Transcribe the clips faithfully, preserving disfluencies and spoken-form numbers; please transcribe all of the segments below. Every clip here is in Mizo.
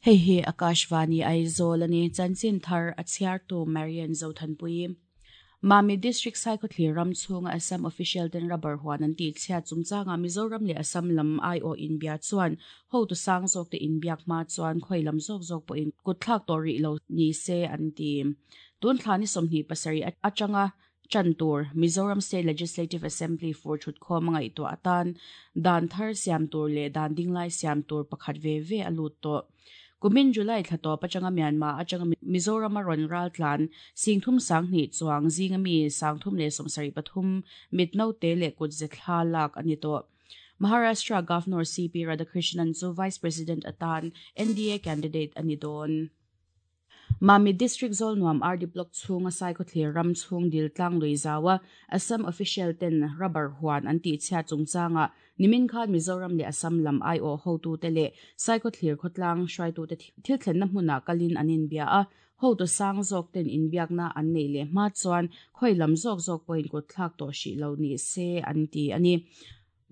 Hei hi Akashvani Aizawl ani chanchin thar a chhiartu Marian Zothanpui. Mami District Saikhawthlir ram chhunga Assam official ten rubber huan an tih chhiat chungchanga Mizoram leh Assam lam ai aw inbia chuan hotu sang zawk te inbiak hma chuan khawi lam zawk zawk pawhin kut thlak tawh rih lo ni se an ti. Tun thla ni sawmhnih pasarih atanga chan tur Mizoram State Legislative Assembly for thut khawm a ngaihtuah atan dan thar siam tur leh dan dinglai siam tur pakhat ve ve a lut tawh. Kumin July thla tawp atanga Myanmar atanga Mizoram a rawn ral tlan Singthum Sanghnih chuang zinga mi Sangthum leh Sawmsarih pathum mitno te leh kut ze thla lak ani tawh. Maharashtra Governor C P Radhakrishnan chu Vice President atan N D A candidate ani dawn. Mami District Zawlnuam R D Block chhunga Saikhawthlir ram chhung dil tlang lui zawa Assam official ten rubber huan an tih chhiat chungchanga nimin khan Mizoram leh Assam lam ai aw hotu te leh Saikhawthlir khawtlang hruaitu te thil thlenna hmunah kalin an inbia a hotu sang zawk ten inbiakna an nei leh hma chuan khawi lam zawk zawk pawhin kut thlak tawh hrih lo ni se an ti ani.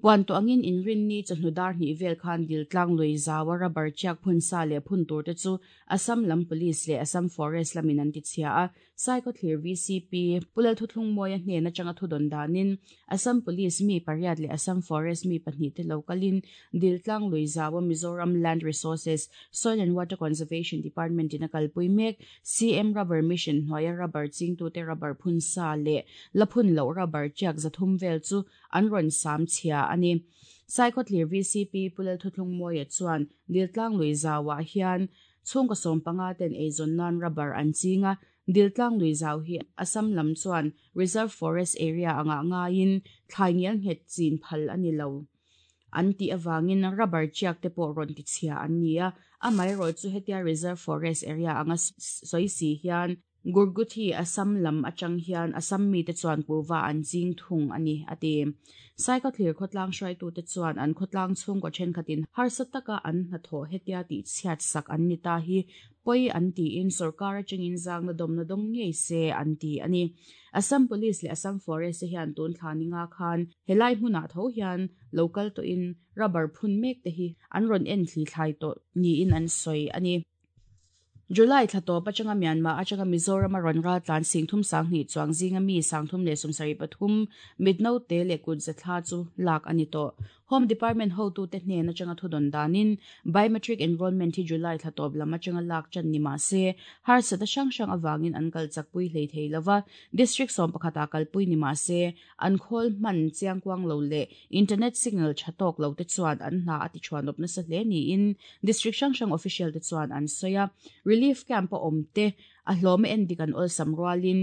Puan to angin inrin ni chawhnu dar hnih vel khan dil tlang lui zawa rubber chiak phun sa leh phun tur te chu Assam lam police leh Assam forest lamin an ti chhia a Saikhawthlir V C P Pulal Thuthlung Mawia hnen atanga thudon danin Assam police mi pariat leh Assam forest mi pahnih te lokalin dil tlang lui zawa Mizoram Land Resources Soil and Water Conservation Department in a kalpui mek C M Rubber Mission hnuaia rubber chingtu te rubber phun sa leh la phun lo rubber chiak zathum vel chu an rawn sam chhia ani. Saikhawthlir V C P Pulal Thuthlung Mawia chuan diltlang lui zawa hian chhungkaw sawm panga ten eizawn nan rubber an chinga diltlang lui zau hi Assam lam chuan Reserve Forest Area anga ngaiin thlai ngial nghet chin phal ani lo. An ti awangin rubber chiak te pawh rawn ti chhia an ni a amaherawh chu hetia Reserve Forest Area anga sawi si hian Gurguthi Assam lam atang hian Assam mi te chuan kuwa an ching thung ani ati. Saikhawthlir khawtlang hruaitu te chuan an khawtlang chhungkaw thenkhatin harsa taka an hnathawh hetia tih chhiat sak an ni ta hi pawih an tiin sarkar atangin zangna dawmna dawng ngei se an ti ani. Assam Police leh Assam Forest te hian tun thla ni nga khan helai hmunah tho hian local to in rubber phun mek te hi an rawn en thli thlai tawh niin an sawi ani. July thla tawp atanga Myanmar atanga Mizoram a rawn ral tlan Singthum Sanghnih chuang zinga mi Sangthum leh Sawmsarih pathum mitno te leh kut ze thla chu lak ani tawh. Home Department hotu te hnen atanga thudon danin biometric enrollment hi July thla tawp lam atanga lak chan ni ma se harsata hrang hrang awangin an kal chakpui hlei thei lova district sawm pakhata kalpui ni ma se an khawl hman chiangkuang lo leh internet signal thatawk lo te chuan an hna ati chuan awp nasa hle niin district hrang hrang official te chuan an sawi a. Relief camp a awm te a hlawm en dik an awlsam rualin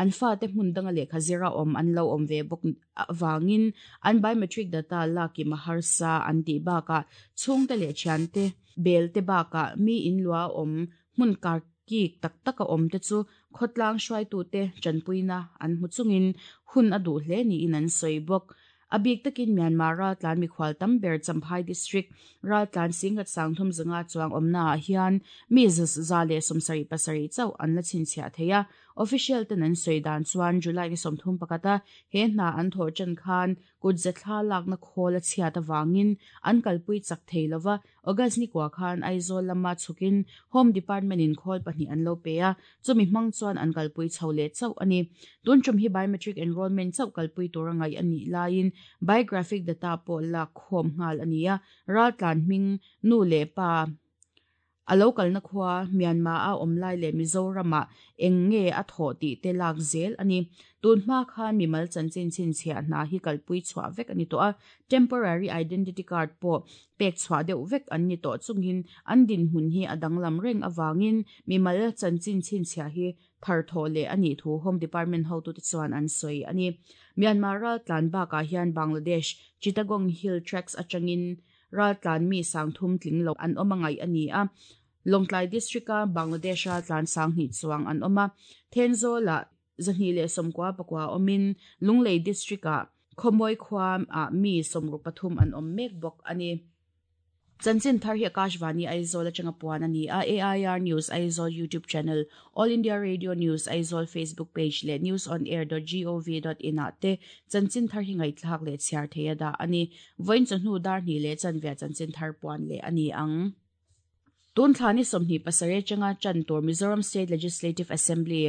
an fa te hmun danga lehkha zira awm an lo awm ve bawk awangin an biometric data laki maharsa an tih bakah chhungte leh thiante bel te bakah mi in lua awm hmun kar ki tak taka awm te chu khawtlang hruaitu te chanpuina an hmu chungin hun a duh hle niin an sawi bawk. Abik takin Myanmar ral tlan mikhwal tam ber Champhai District ral tlan singat sangthum zanga chuang awmna ah hian mi za leh sawmsarih pasarih chauh an la chhinchhiah thei a. Official ten an sawi dan chuan July ni sawmthum pakhata he hna an thawh chan khan kut ze thla lakna khawl a chhiat awangin an kalpui chak thei lova August ni kwa khan Aizawl lama chhukin Home Department in khawl pahnih an lo pe a chumi hmang chuan an kalpui chho leh chauh ani. Tun tum hi biometric enrollment chauh kalpui tur a ngai ani laiin biographic data pawh lak khawm nghal ani a ral tlan hming nu leh pa a local na khua Myanmar a awm lai leh Mizoramah eng nge a thawh tih te lak zel ani. Tun hma khan mimal chanchin chhinchhiah hna hi kalpui chhuah vek ani tawh a temporary identity card pawh pek chhuah deuh vek an ni tawh chungin an din hmun hi a danglam reng awangin mimal chanchin chhinchhiah hi thar thawh leh ani thu Home Department hotu te chuan an sawi ani. Myanmar ral tlan bakah hian Bangladesh Chittagong Hill Tracts atangin ral tlan mi sangthum tling lo an awm angai ani a. Longtlai District a Bangladesh ral tlan sanghnih chuang an awm a Thenzawl ah zahnih leh sawmkua pakua awmin Lunglei District ah Khawmawi khua ah mi sawmruk pathum an awm mek bawk ani. Chanchin thar hi Akashvani Aizawl atanga puan ani a A I R News Aizawl YouTube channel, All India Radio News Aizawl Facebook page le news on air dot gov dot in ah te chanchin thar hi ngaihthlak leh chhiar theia dah ani. Vawiin chawhnu dar hnih leh chanve chanchin thar puan leh ani ang. Tun thlani sawmhnih pasarih atanga chan tur Mizoram State Legislative Assembly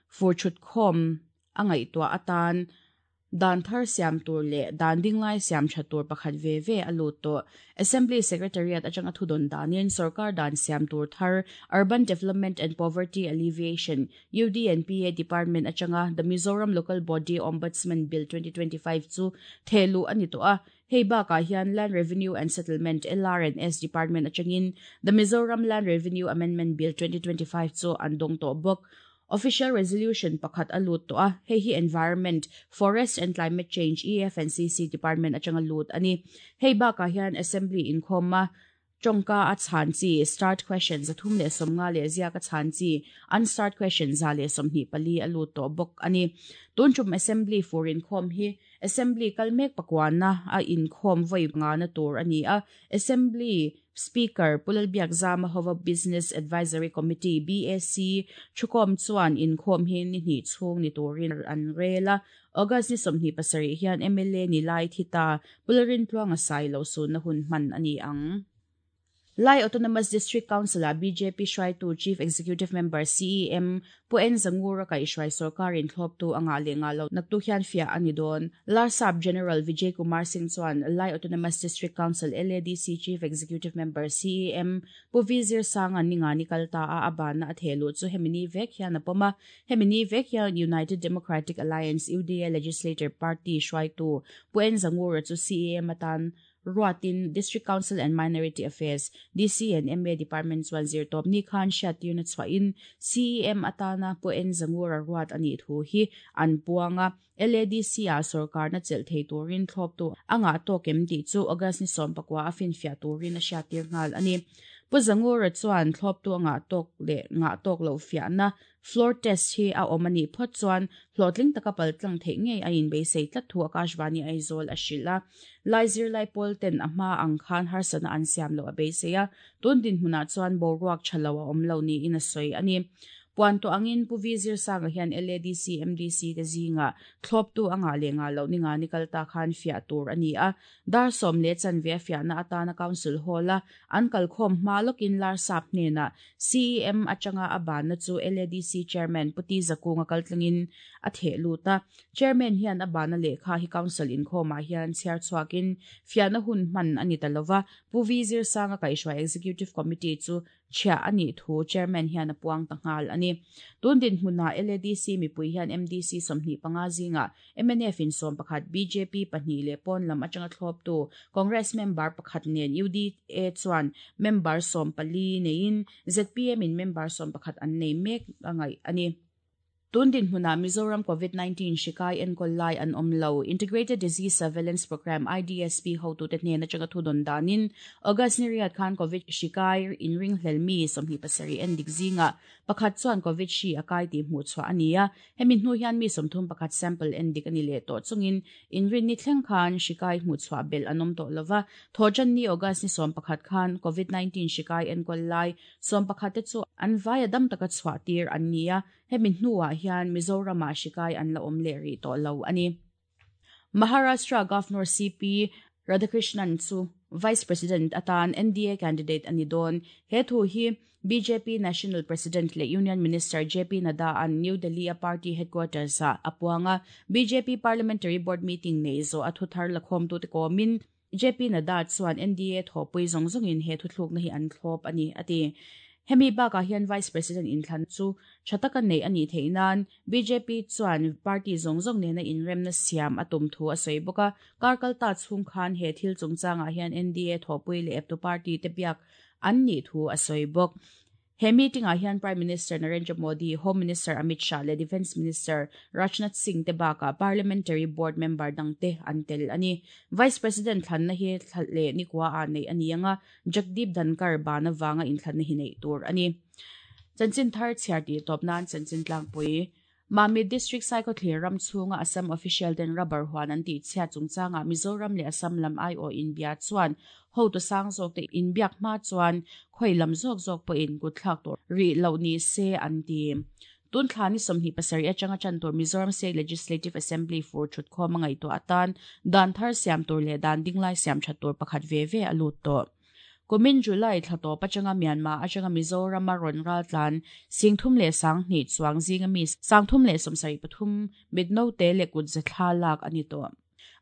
fur thut khawm a ngaihtuah atan dan thar siam tur le dan dinglai siam tha tur pakhat ve ve a lut to Assembly Secretariat atanga thudon danin sarkar dan siam tur thar Urban Development and Poverty Alleviation U D and P A Department atanga the Mizoram Local Body Ombudsman Bill twenty twenty-five chu thelu ani to a hei baka hian Land Revenue and Settlement L R and S Department atangin the Mizoram Land Revenue Amendment Bill twenty twenty-five chu andong to bok. Official resolution pakhat alut to a hei hi Environment, Forest and Climate Change E F and C C Department atanga lut ani. Hei baka hian Assembly in khoma chongka a chan chi start questions athum le somnga le zia ka chan chi unstart questions za le somni pali alut to bok ani. Tun chum Assembly for in khom hi Assembly kalmek pakwana a in khom voi nga na tur ani a Assembly Speaker Pulalbiak Zama Hova Business Advisory Committee B A C chukom chuan in khom hin ni ni chung ni turin an rela August ni somni pasari hian M L A ni lai thita Pularin tluanga sai lo su na hun man ani ang. Lai Autonomous District Council a B J P Shrai tu Chief Executive Member C E M Puen Zangura ka Ishrai Sarkarin thlop tu anga le nga lo naktu hian fia ani don. Larsap General Vijay Kumar Singh chuan Lai Autonomous District Council L A D C Chief Executive Member C E M Pu Vizir Sanga ninga ni kalta a abana a thelu chu hemini vek hian apoma hemini vek hian United Democratic Alliance U D A Legislature Party Shrai tu Puen Zangura chu C E M atan Ruatin District Council and Minority Affairs D C and M A Departments one zero top ni khan shat unit chwa in C E M atana Puen Zangura ruat ani thu hi an puanga L A D C a sarkar na chel thei turin thlop tu anga to kem ti chu August ni som pakwa afin fia turin a shat tir ngal ani. Pu Zangura chuan thlop tu anga tok le nga tok lo fia na floor test hi a omani phot chuan hlotling taka paltlang thei ngei a in beisei tlat thu Akashvani Aizawl a hrila lai zir lai pol ten a hma ang khan harsana an siam lo a beiseia tun din hmuna chuan boruak thalo a awm lo ni in a sawi ani. Puan to angin Pu Vizir Sanga hian L A D C M D C te zinga thlop tu anga le nga lo ninga ni kalta khan fia tur ani a dar som le chanve fia na atana council hall a an kalkhom hma lokin lar sap hnena C E M atanga aban na chu L A D C chairman Puti Zakunga kaltlangin a the luta chairman hian abana lekha hi council in khoma hian chiar chuakin fia na hun man ani talova Pu Vizir Sanga kaishwa executive committee chu chia ani thu chairman hian a puang tangal ani. Tun din hmuna L A D C mipui hian M D C somhni panga zinga M N F in som pakhat B J P pahnih le pawn lam atanga thlop tu Congress member pakhat nen U D A chuan member som pali nein Z P M in member som pakhat an nei mek angai ani. Tun din hmuna Mizoram COVID nineteen shikai enkol lai an omlo Integrated Disease Surveillance Program I D S P ho tu te hnen atanga thudon danin August ni riat khan COVID shikai in ring hlelmi somhni pasari en dik zinga pakhat chuan COVID shi akai ti hmu chwa ania hemi hnu hian mi somthum pakhat sample en dik ani le to chungin in rin ni thleng khan shikai hmu chwa bel anom to lova thojan ni August ni som pakhat khan COVID nineteen shikai enkol lai som pakhat te chu an vaya dam taka chwa tir ania hemi hnuah hian Mizoram a shikai an la awm leh rih tawh lo ani. Maharashtra Governor C P Radhakrishnan chu Vice President atan N D A candidate ani don he thu hi B J P National President le Union Minister J P Nadda an New Delhi a party headquarters a apuanga B J P Parliamentary Board meeting nei zo a thu thar lakhom tu te komin J P Nadda chuan N D A thopui zawng zawngin he thu thluk na hi an thlawp ani ati. Hemi baka hian Vice President in thlan chu thataka nei ani theinan B J P chuan party zawng zawng nena inremna siam atum thu a sawi bawk a karkal ta chhung khan he thil chungchangah hian N D A thawpui leh eptu party te biak an ni thu a sawi bawk. He meeting ah hian Prime Minister Narendra Modi, Home Minister Amit Shah le Defence Minister Rajnath Singh te baka Parliamentary Board member dangte an tel ani. Vice President thlan na hi le ni kwa a nei ani anga Jagdeep Dhankar bana wanga in thlan na hi nei tur ani. Chanchin thar chhiar ti top nan chanchin tlangpui. Mamit District Saikhawthlir ram chhunga Assam official ten rubber huan an tih chhiat chungchangah Mizoram leh Assam lam aiawh inbia chuan hotu sang zawk te inbiak hma chuan khawi lam zawk zawk pawhin kut thlak tur rih loh ni se an ti. Tun thla ni sawmhnih pasarih atanga tan tur Mizoram State Legislative Assembly fur thut khawm a ngaihtuah atan dan thar siam tur leh dan dinglai siam that tur pakhat ve ve a lut tawh. Kumin July thla tawp atanga Myanmar atanga Mizoram a rawn ral tlan singthum leh sanghnih chuang zinga mi sangthum leh sawmsarih pathum mitno te leh kut ze thla lak a ni tawh.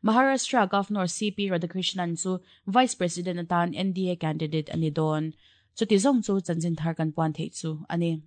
Maharashtra Governor C P Radhakrishnan chu Vice President atan N D A candidate ani dawn. Chuti zawng chu chanchin thar kan puan theih chu ani.